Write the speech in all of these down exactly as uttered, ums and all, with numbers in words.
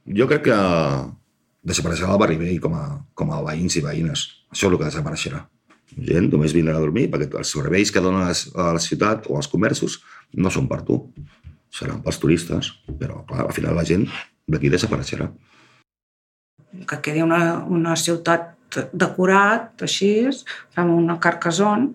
Jo crec que desapareixerà el barri vell com a, com a veïns i veïnes. Això és el que desapareixerà. Gent només vindrà a dormir perquè els serveis que donen a la ciutat o als comerços no són per tu. Seran pels turistes, però clar, al final la gent d'aquí desapareixerà. Que quedi una, una ciutat decorat, així, amb una Carcassonne,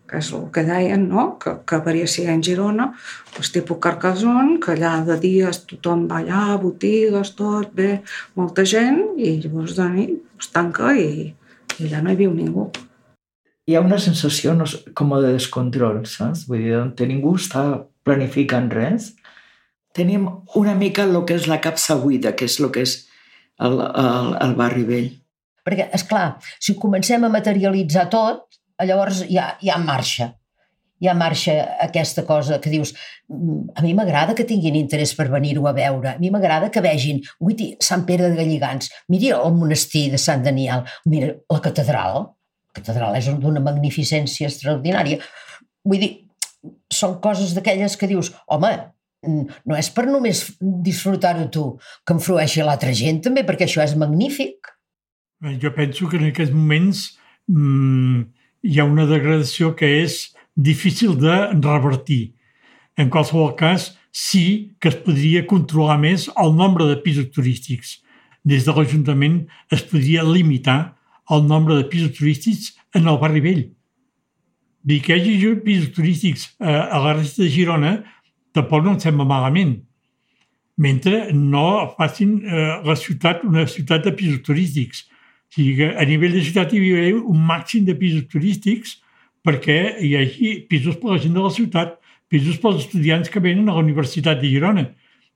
que és el que deien, no? que, que hauria ser en Girona, doncs tipus Carcassonne, que allà de dies tothom va allà, botigues, tot, bé, molta gent, i llavors de nit es tanca i, i allà no hi viu ningú. Hi ha una sensació no, com de descontrol, saps? Vull dir, on ningú està planificant res. Tenim una mica el que és la capsa buida, que és el que és el, el, el barri vell. Perquè, esclar, si comencem a materialitzar tot, llavors ja, ja marxa. Ja marxa aquesta cosa que dius, a mi m'agrada que tinguin interès per venir-ho a veure, a mi m'agrada que vegin, ui, Sant Pere de Galligants, mira el monestir de Sant Daniel, mira la catedral, la catedral és d'una magnificència extraordinària. Vull dir, són coses d'aquelles que dius, home, no és per només disfrutar-ho tu, que em frueixi l'altra gent també, perquè això és magnífic. Jo penso que en aquests moments mmm, hi ha una degradació que és difícil de revertir. En qualsevol cas, sí que es podria controlar més el nombre de pisos turístics. Des de l'Ajuntament es podria limitar el nombre de pisos turístics en el barri vell. Dir que hi hagi pisos turístics a la resta de Girona tampoc no em sembla malament, mentre no facin la ciutat una ciutat de pisos turístics. O sigui que a nivell de ciutat hi havia un màxim de pisos turístics perquè hi hagi pisos per la gent de la ciutat, pisos pels estudiants que venen a la Universitat de Girona,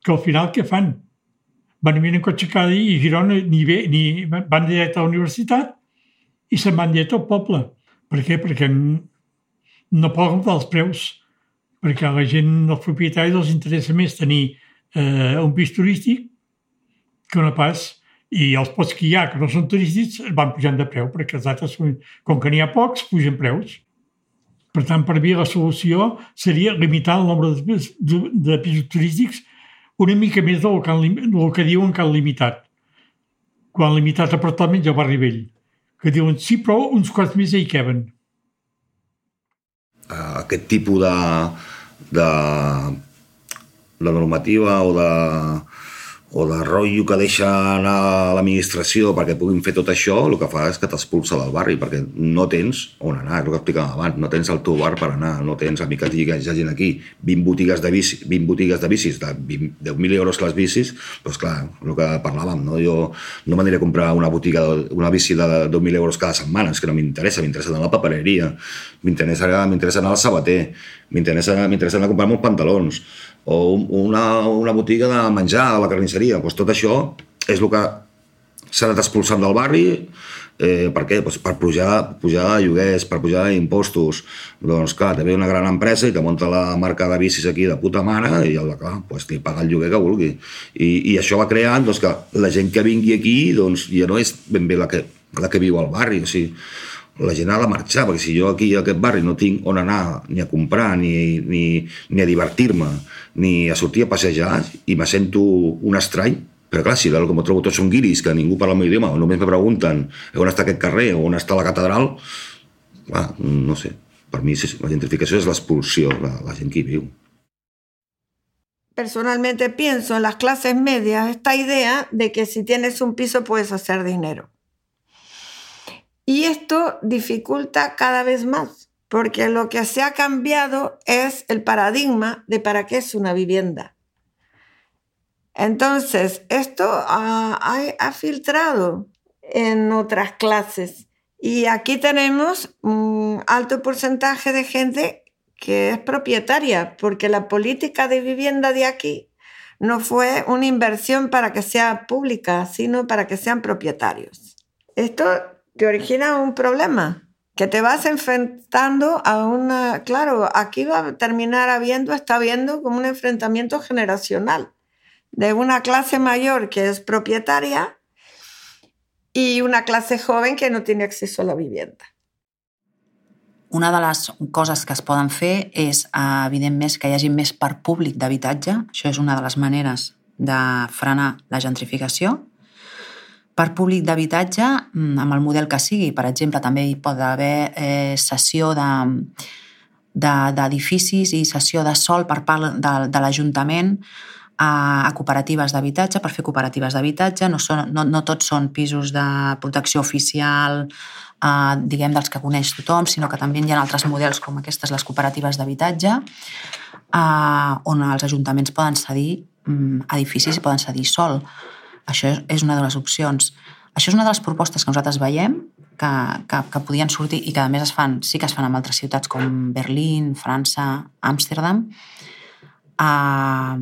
que al final què fan? Van a venir en cotxe cada dia i a Girona ni, ve, ni van directe a la universitat i se'n van directe al poble. Per què? Perquè no poden comptar els preus, perquè a la gent, als propietaris, els interessa més tenir eh, un pis turístic que no pas. I els pocs que hi ha, que no són turístics, van pujant de preu, perquè els altres, com que n'hi ha pocs, pugen preus. Per tant, per mi la solució seria limitar el nombre de, de, de pisos turístics una mica més del que, del que diuen que han limitat. Quan han limitat apartaments al barri vell, que diuen, sí, però uns quants més hi queben. Aquest tipus de, de, de normativa o de... o de rotllo que deixa anar l'administració perquè puguin fer tot això, el que fa és que t'expulsa del barri, perquè no tens on anar, és el que explicàvem abans, no tens el teu bar per anar, no tens, a mi que et digui que hi ha gent aquí, vint botigues de bicis, vint botigues de bicis, de deu mil euros les bicis, doncs clar, el que parlàvem, no? Jo no m'aniré a comprar una botiga, una bici de deu mil euros cada setmana, és que no m'interessa, m'interessa anar a la papereria, m'interessa anar al sabater, m'interessa anar a comprar-me uns pantalons, o una, una botiga de menjar a la carnisseria. Pues tot això és el que s'ha anat expulsant del barri. Eh, per què? Pues per pujar, pujar lloguers, per pujar impostos. Doncs clar, te ve una gran empresa i te munta la marca de bicis aquí de puta mare i clar, pues, li paga el lloguer que vulgui. I, i això va creant doncs, que la gent que vingui aquí doncs, ja no és ben bé la que, la que viu al barri. O sigui, la gent ha de marxar, perquè si jo aquí a aquest barri no tinc on anar ni a comprar, ni, ni, ni a divertir-me, ni a sortir a passejar, i me sento un estrany, però clar, si com ho trobo tots són guiris, que ningú parla el meu idioma, o només me pregunten on està aquest carrer, o on està la catedral, clar, no sé, per mi la gentrificació és l'expulsió, la, la gent que hi viu. Personalmente pienso en las clases medias esta idea de que si tienes un piso puedes hacer dinero. Y esto dificulta cada vez más, porque lo que se ha cambiado es el paradigma de para qué es una vivienda. Entonces, esto ha, ha, ha filtrado en otras clases. Y aquí tenemos un alto porcentaje de gente que es propietaria, porque la política de vivienda de aquí no fue una inversión para que sea pública, sino para que sean propietarios. Esto te origina un problema, que te vas enfrentando a una... Claro, aquí va a terminar habiendo, está habiendo como un enfrentamiento generacional de una clase mayor que es propietaria y una clase joven que no tiene acceso a la vivienda. Una de les coses que es poden fer és, evidentment, que hi hagi més parc públic d'habitatge. Això és una de les maneres de frenar la gentrificació. Per públic d'habitatge, amb el model que sigui, per exemple, també hi pot haver eh, cessió de, de, d'edificis i cessió de sòl per part de, de l'Ajuntament a, a cooperatives d'habitatge, per fer cooperatives d'habitatge. No, són, no, no tots són pisos de protecció oficial, eh, diguem, dels que coneix tothom, sinó que també hi ha altres models com aquestes, les cooperatives d'habitatge, eh, on els ajuntaments poden cedir mm, edificis i poden cedir sòl. Això és una de les opcions. Això és una de les propostes que nosaltres veiem que, que, que podien sortir i que a més es fan, sí que es fan en altres ciutats com Berlín, França, Amsterdam. Uh,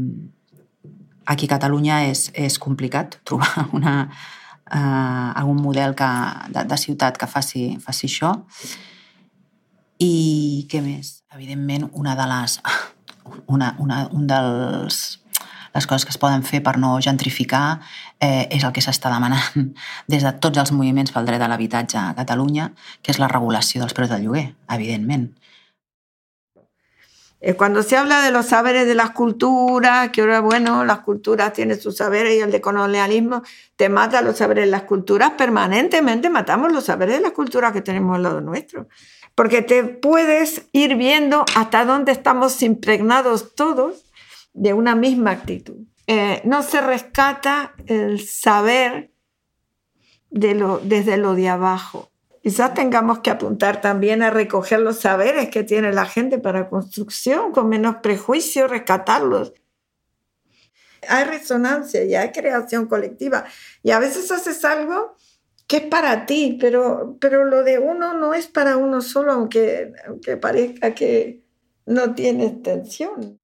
aquí a Catalunya és, és complicat trobar una, uh, algun model que, de, de ciutat que faci, faci això. I què més? Evidentment, una de les... Una, una, un dels... les coses que es poden fer per no gentrificar eh, és el que s'està demanant des de tots els moviments pel dret a l'habitatge a Catalunya, que és la regulació dels preus del lloguer, evidentment. Cuando se habla de los saberes de las culturas, que ahora, bueno, las culturas tienen sus saberes y el de colonialismo te mata los saberes de las culturas, permanentemente matamos los saberes de las culturas que tenemos al lado nuestro. Porque te puedes ir viendo hasta dónde estamos impregnados todos de una misma actitud. Eh, no se rescata el saber de lo, desde lo de abajo. Quizás tengamos que apuntar también a recoger los saberes que tiene la gente para construcción, con menos prejuicio, rescatarlos. Hay resonancia y hay creación colectiva. Y a veces haces algo que es para ti, pero, pero lo de uno no es para uno solo, aunque, aunque parezca que no tiene extensión.